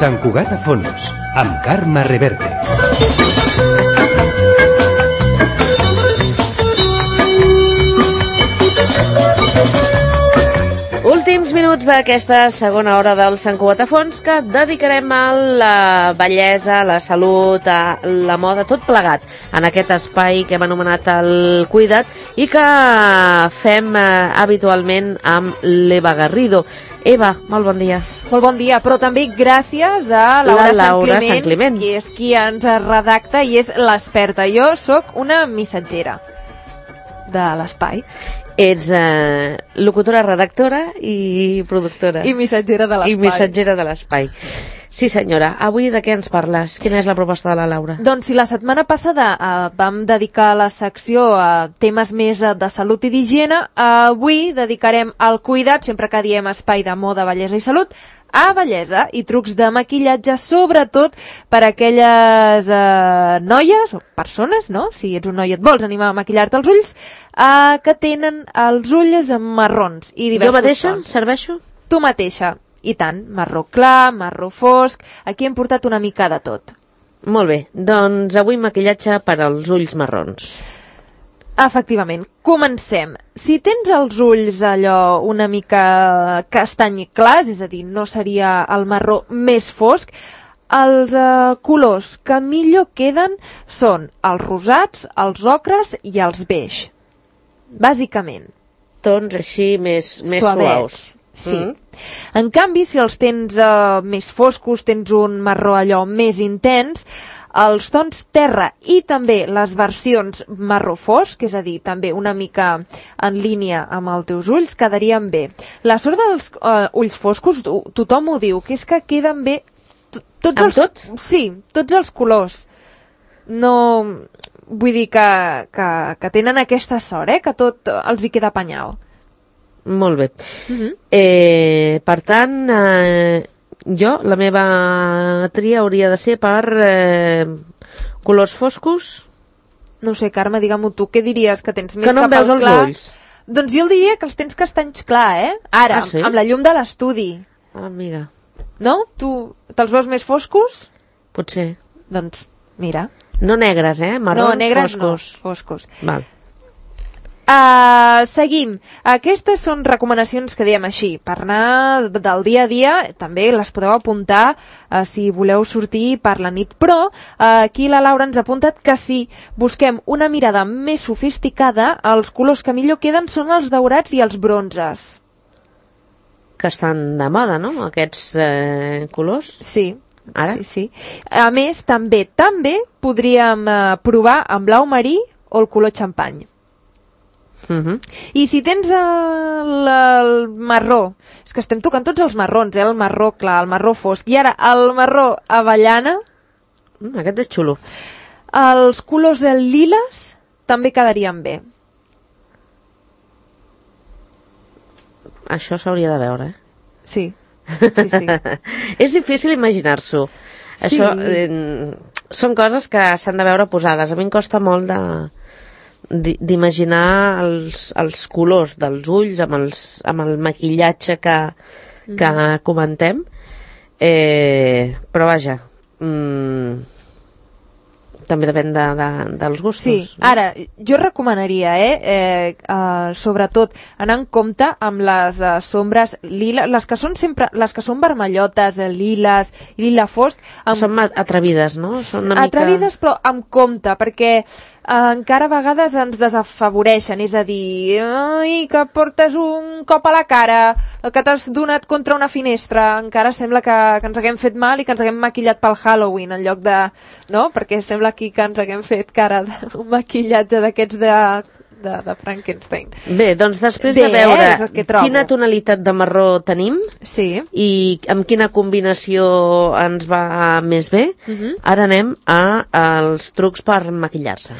Sant Cugat a Fons, amb Carme Reverte. Últims minuts d'aquesta segona hora del Sant Cugat a Fons, que dedicarem a la bellesa, la salut, a la moda, tot plegat en aquest espai que hem anomenat el Cuida't i que fem habitualment amb l'Eva Garrido. Eva, molt bon dia. Molt bon dia, però també gràcies a Laura Sant Climent, que és qui ens redacta i és l'experta. Jo sóc una missatgera de l'espai. Ets locutora, redactora i productora. I missatgera de l'espai. I missatgera de l'espai. Sí, senyora. Avui de què ens parles? Quina és la proposta de la Laura? Doncs si la setmana passada vam dedicar la secció a temes més de salut i d'higiene, avui dedicarem al cuidat, sempre que diem espai de moda, bellesa i salut, a bellesa i trucs de maquillatge, sobretot per a aquelles noies o persones, no? Si ets un noi i et vols animar a maquillar-te els ulls, que tenen els ulls marrons i diversos. Jo mateixa tons. serveixo? Tu mateixa. I tant, marró clar, marró fosc, aquí hem portat una mica de tot. Molt bé, doncs avui maquillatge per als ulls marrons. Efectivament, comencem. Si tens els ulls allò una mica castany clars, és a dir, no seria el marró més fosc, els colors que millor queden són els rosats, els ocres i els beix. Bàsicament. Tons així més suaus. Sí. En canvi, si els tens més foscos, tens un marró allò més intens, els tons terra i també les versions marró fosc, és a dir, també una mica en línia amb els teus ulls, quedarien bé. La sort dels ulls foscos, tothom ho diu, que és que queden bé tot? Sí, tots els colors. No... Vull dir que tenen aquesta sort, que tot els hi queda apanyau. Molt bé. Per tant, jo, la meva tria hauria de ser per colors foscos. No sé, Carme, digue-m'ho tu, què diries que tens més que no cap veus al clar? Els ulls. Doncs jo el diria que els tens castanys clar, Ara, sí? amb la llum de l'estudi. Amiga. No? Tu te'ls veus més foscos? Potser. Doncs, mira. No negres, marrons, no, negres foscos. No, foscos. Val. Seguim. Aquestes són recomanacions que diem així per anar del dia a dia. També les podeu apuntar si voleu sortir per la nit, però aquí la Laura ens ha apuntat que si busquem una mirada més sofisticada, els colors que millor queden són els daurats i els bronzes, que estan de moda, no? Aquests colors. Sí. Ara? Sí. A més, també podríem provar amb blau marí o el color xampany. I si tens el marró, és que estem tocant tots els marrons, el marró clar, el marró fosc, i ara el marró avellana, aquest és xulo. Els colors liles també quedarien bé. Això s'hauria de veure, Sí. És difícil imaginar-s'ho. Sí. Això són coses que s'han de veure posades. A mi em costa molt d'imaginar els colors dels ulls amb el maquillatge que comentem, però vaja, també depèn dels gustos. Sí, ara, jo recomanaria, sobretot, anar en compte amb les sombres lila, les que són vermellotes, liles, lila fosc. Són atrevides, no? Són una atrevides, però amb compte, perquè encara a vegades ens desafavoreixen, és a dir, que portes un cop a la cara, que t'has donat contra una finestra, encara sembla que ens haguem fet mal i que ens haguem maquillat pel Halloween, en lloc de... No? Perquè sembla aquí que ens haguem fet cara d'un maquillatge d'aquests de Frankenstein. Bé, doncs després de veure quina tonalitat de marró tenim i amb quina combinació ens va més bé, ara anem als trucs per maquillar-se.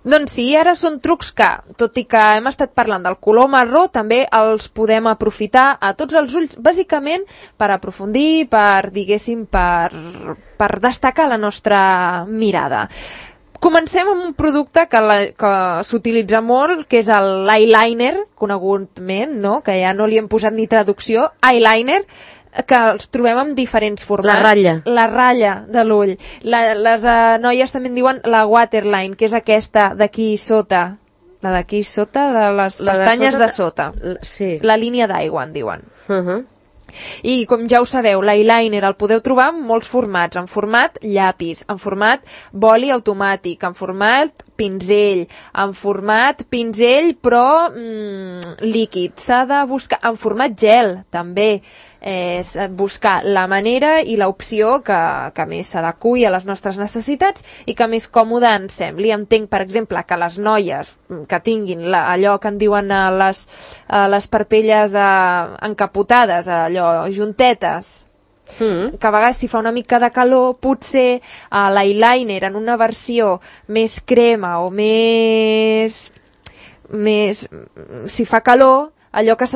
Doncs sí, ara són trucs que, tot i que hem estat parlant del color marró, també els podem aprofitar a tots els ulls, bàsicament per aprofundir, per, diguéssim, per destacar la nostra mirada. Comencem amb un producte que s'utilitza molt, que és l'eyeliner, conegudament, no? Que ja no li hem posat ni traducció, eyeliner, que els trobem en diferents formats. La ratlla. La ratlla de l'ull. Les noies també en diuen la waterline, que és aquesta d'aquí sota. La d'aquí sota, de les pestanyes de sota. Sí. La línia d'aigua, en diuen. Uh-huh. I com ja ho sabeu, l'eyeliner el podeu trobar en molts formats, en format llapis, en format boli automàtic, en format pinzell, en format pinzell però líquid. S'ha de buscar en format gel, també. Buscar la manera i l'opció que més s'adequi a les nostres necessitats i que més còmode ens sembli. Entenc, per exemple, que les noies que tinguin allò que en diuen les parpelles encapotades, allò juntetes, que a vegades si fa una mica de calor potser l'eyeliner en una versió més crema o més si fa calor, allò que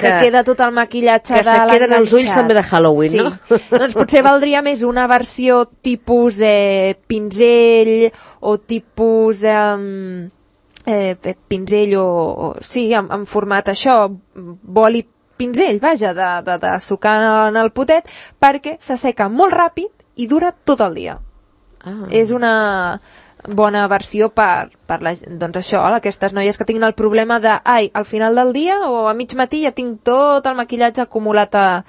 queda tot el maquillatge que se queden els ulls també de Halloween, sí. No? Doncs potser valdria més una versió tipus pinzell o tipus pinzell sí, en format això, boli pinzell, vaja, de sucar en el potet, perquè s'asseca molt ràpid i dura tot el dia. És una bona versió per doncs això, aquestes noies que tinguin el problema de al final del dia o a mig matí ja tinc tot el maquillatge acumulat a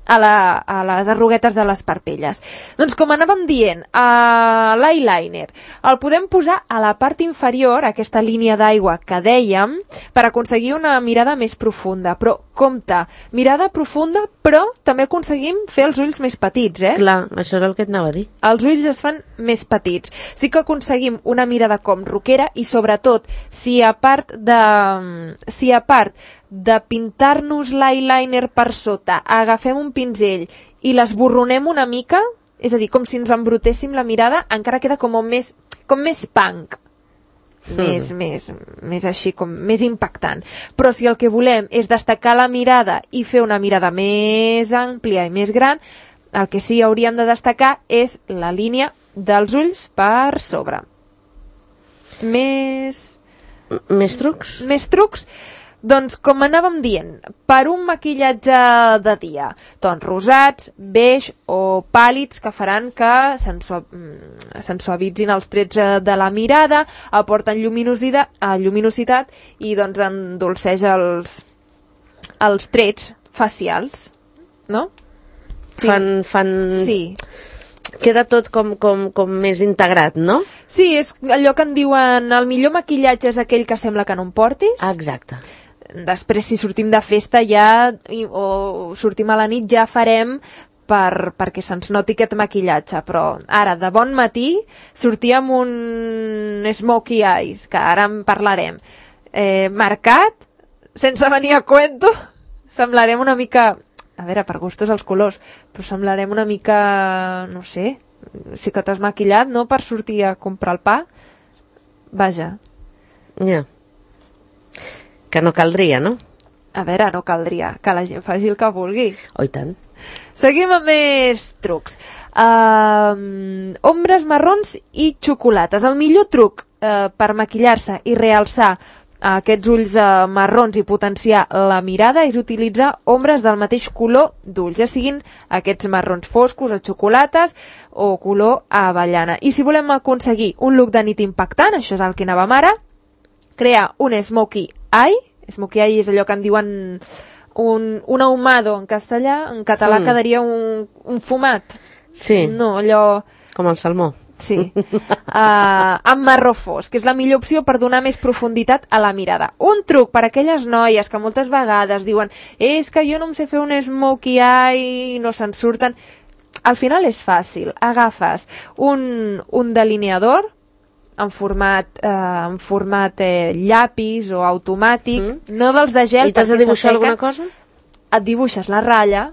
les arruguetes de les parpelles. Doncs com anàvem dient, l'eyeliner el podem posar a la part inferior, aquesta línia d'aigua que dèiem, per aconseguir una mirada més profunda. Però compte, mirada profunda, però també aconseguim fer els ulls més petits, Clar, això és el que et anava a dir. Els ulls es fan més petits. Sí que aconseguim una mirada com roquera i sobretot si a part de pintar-nos l'eyeliner per sota, agafem un pinzell i l'esborronem una mica, és a dir, com si ens embrutéssim la mirada, encara queda com més punk. Més així, com més impactant. Però si el que volem és destacar la mirada i fer una mirada més àmplia i més gran, el que sí hauríem de destacar és la línia dels ulls per sobre. Més trucs? Més trucs? Doncs, com anàvem dient, per un maquillatge de dia, tons rosats, beix o pàl·lids que faran que se'n suavitzin els trets de la mirada, aporten lluminositat i doncs endolceja els trets facials, no? Sí. Sí. Queda tot com més integrat, no? Sí, és allò que en diuen el millor maquillatge és aquell que sembla que no em portis. Exacte. Després, si sortim de festa ja o sortim a la nit, ja farem perquè se'ns noti aquest maquillatge. Però ara, de bon matí, sortir amb un smokey eyes, que ara en parlarem, marcat, sense venir a cuento, semblarem una mica... A veure, per gustos els colors, però semblarem una mica, no sé, sí que t'has maquillat, no?, per sortir a comprar el pa. Vaja. Ja. Que no caldria, no? A veure, no caldria, que la gent faci el que vulgui. Oh, i tant. Seguim amb més trucs. Ombres marrons i xocolates. El millor truc per maquillar-se i realçar aquests ulls marrons i potenciar la mirada és utilitzar ombres del mateix color d'ulls, ja siguin aquests marrons foscos o xocolates o color avellana. I si volem aconseguir un look de nit impactant, això és el que anàvem ara, crear un smokey eye. Smokey eye és allò que en diuen un ahumado en castellà, en català quedaria un fumat. Sí. No, allò... Com el salmó. Sí, amb marró fosc, que és la millor opció per donar més profunditat a la mirada. Un truc per a aquelles noies que moltes vegades diuen és que jo no em sé fer un smokey eye i no se'n surten. Al final és fàcil, agafes un delineador en format llapis o automàtic, no dels de gel. I t'has de dibuixar alguna cosa? Et dibuixes la ratlla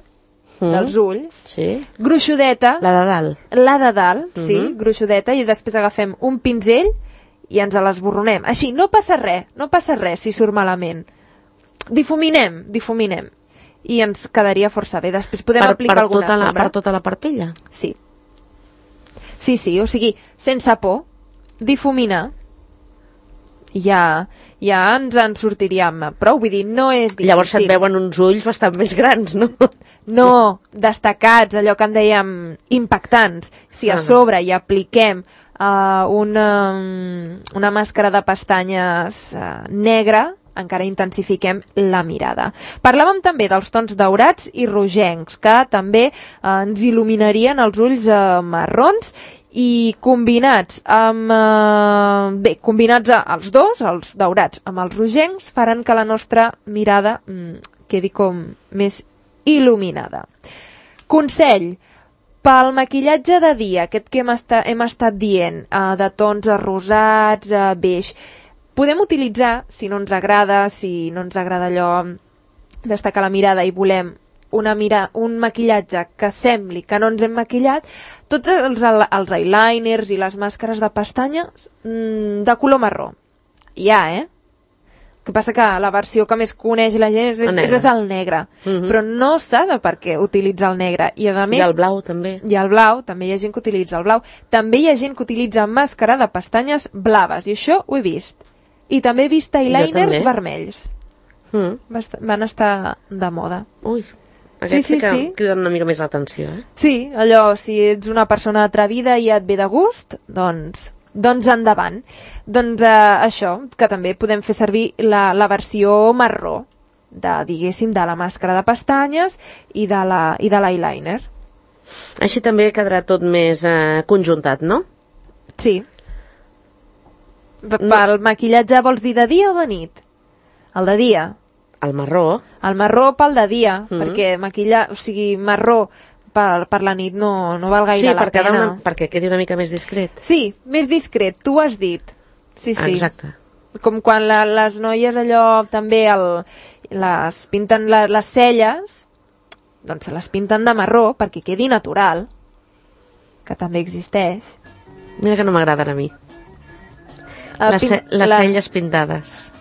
dels ulls, gruixudeta, la de dalt, sí, gruixudeta, i després agafem un pinzell i ens l'esborronem. Així, no passa res si surt malament. Difuminem, i ens quedaria força bé. Després podem aplicar alguna sombra. Per tota la parpella? Sí. Sí, o sigui, sense por, difuminar, ja ens en sortiríem prou, vull dir, no és difícil. Llavors et veuen uns ulls bastant més grans, no? No, destacats, allò que en dèiem impactants. Si a sobre hi apliquem una màscara de pestanyes negra, encara intensifiquem la mirada. Parlàvem també dels tons daurats i rogencs, que també ens il·luminarien els ulls marrons, i combinats amb combinats els dos, els daurats amb els rogencs, faran que la nostra mirada quedi com més il·luminada. Consell: pel maquillatge de dia, aquest que hem estat dient, de tons rosats, beix, podem utilitzar, si no ens agrada allò destacar la mirada i volem un maquillatge que sembli que no ens hem maquillat, tots els eyeliners i les màscares de pestanyes de color marró. El que passa que la versió que més coneix la gent és el negre. Però no s'ha de per què utilitzar el negre. I a més, i el blau també. I el blau, també hi ha gent que utilitza el blau. També hi ha gent que utilitza màscara de pestanyes blaves, i això ho he vist. I també he vist eyeliners vermells. Van estar de moda. Ui, aquests sí que criden una mica més l'atenció, Sí, allò, si ets una persona atrevida i et ve de gust, doncs endavant. Doncs això, que també podem fer servir la versió marró diguéssim, de la màscara de pestanyes i de l'eyeliner. Així també quedarà tot més conjuntat, no? Sí. Pel maquillatge vols dir de dia o de nit? El de dia. El marró. El marró pel de dia, perquè marró per la nit no val gaire la pena. Sí, perquè quedi una mica més discret. Sí, més discret, tu ho has dit. Sí. Exacte. Com quan les noies allò també les pinten les celles, doncs se les pinten de marró perquè quedi natural, que també existeix. Mira que no m'agraden a mi. Les celles pintades.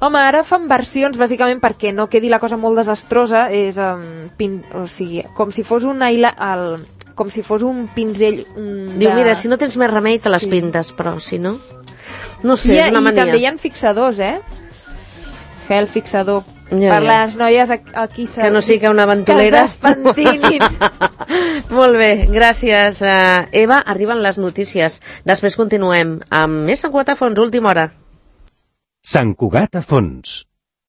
Home, ara fan versions bàsicament perquè no quedi la cosa molt desastrosa, és com si fos un pinzell Diu, mira, si no tens més remei te les pintes, però si no... No sé, és una mania. I també hi ha fixadors, gel fixador per les noies aquí que no sigui una ventolera, que es despentinin. Molt bé, gràcies, Eva. Arriben les notícies, després continuem amb més Sant Cugat a fons, última hora. Sant Cugat a fons.